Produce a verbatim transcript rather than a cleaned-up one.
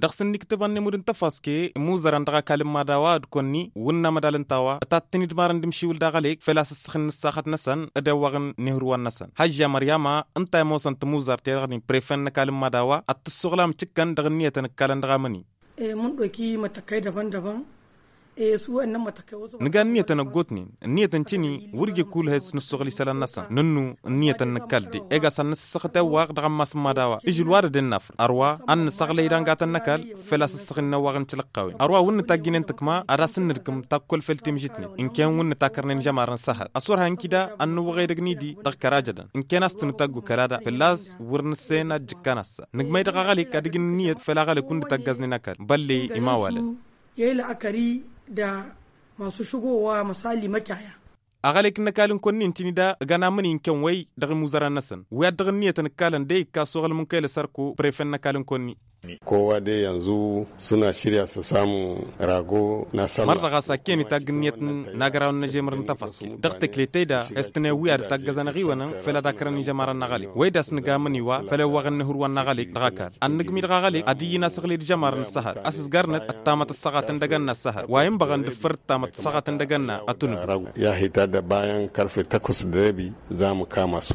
Dăɣ-s ǝnniktǝbăn nemud n-tăfaske imuzărăn dăɣ-ăkall n-imad a-wa d-kăwăn-ni wǝnna mădal ǝnta a-wa ătattin-dd marăn d-imšiwǝl daɣ ălek făl-a-s ǝssăxǝn n-ǝssaxăt-năsăn d-ewwăɣ n-ihǝrwan-năsăn. Hăžža măryama ǝnta i-ămoosăn tǝmuzărt-i-dăɣ-ni prefen n-ăkall n-imad a-wa ad-t-ǝssuɣlam cǝkkăn dăɣ-ǝnniyătăn ǝkkalăn dăɣ-amăni. Mǝnḍoki mătăkkăy dăbăn-dăbăn. Nǝga ǝnniyătăn ăggootnen ǝnniyătăn cǝni wăr ija ăkkulăh a-s nǝssuɣǝl isălan-năsăn nǝnnu. Ǝnniyătăn n-ǝkall de ega a-s ad-nǝssăxăt ewwaɣ dăɣ-ammas n-imad a-wa. Ižǝl wa d-ăddinna afăl ărwa ad-nǝsăɣlăy dăngatăn n-ăkall făl-a-s ǝssăɣnen ewwaɣ n-tilăqqawen ărwa wǝnnǝt a ǝjjǝynen tǝkma ad-asǝnnǝdkǝm takkol făll-timžǝtnen. Ǝnkăyăn wǝnnǝt a kărnen žămarăn s-ehăr ăsurha n-kida ad-nǝwwăɣ edăgg n-idi dăɣ-kăra jădăn ǝnkăyăn a-s tǝnǝtaggu kăla da fălla-s wăr nǝssen ad-jǝkkan assa. Nǝgmăy dăɣ-aɣălek ad-ǝjǝn ǝnniyăt făll-aɣălek wǝnnǝt ăggaẓnen ăkall bălle imawalăn. Yăyla ăkări da masu šăgo wa măsali măcaya. Aɣălek n-ăkall n-kăwăn-ni ǝntǝni da ǝgan amǝni n-kăwăn-wi dăɣ-imuzărăn-năsăn wi ad-dăɣ-ǝnniyătăn ǝkkalăn de ikka asuɣǝl mǝnkăyla sărko prefen n-ăkall n-kăwăn-ni. Kowa de yanzu suna širya s-samu rago n-asălla. Mărdăɣ a-s akken itagg ǝnniyăt n-agăraw n-ažemăr n-tăfaske dăɣ-tăkletăy da. Estăne wi ad-ătaggăzăn aɣiwănăn făl ad-akărăn ižămarăn n-aɣălek wăy d-a-s nǝga amǝni wa făll-ewwăɣăn n-ihǝrwan n-aɣălek dăɣ-ăkall ad-nǝgmi dăɣ-aɣălek ad-iyyǝn asăɣled žămarăn n-săhăr a-s ǝzgarnăt ăttamăt ăssaɣatăn d-agănna ăssăhăr wa inbăɣăn d-ǝffăr ăttamăt ăssaɣatăn d-agănna ătunǝbǝs. Yahita d-bayan karfe takwas d-rebi za măkamasu.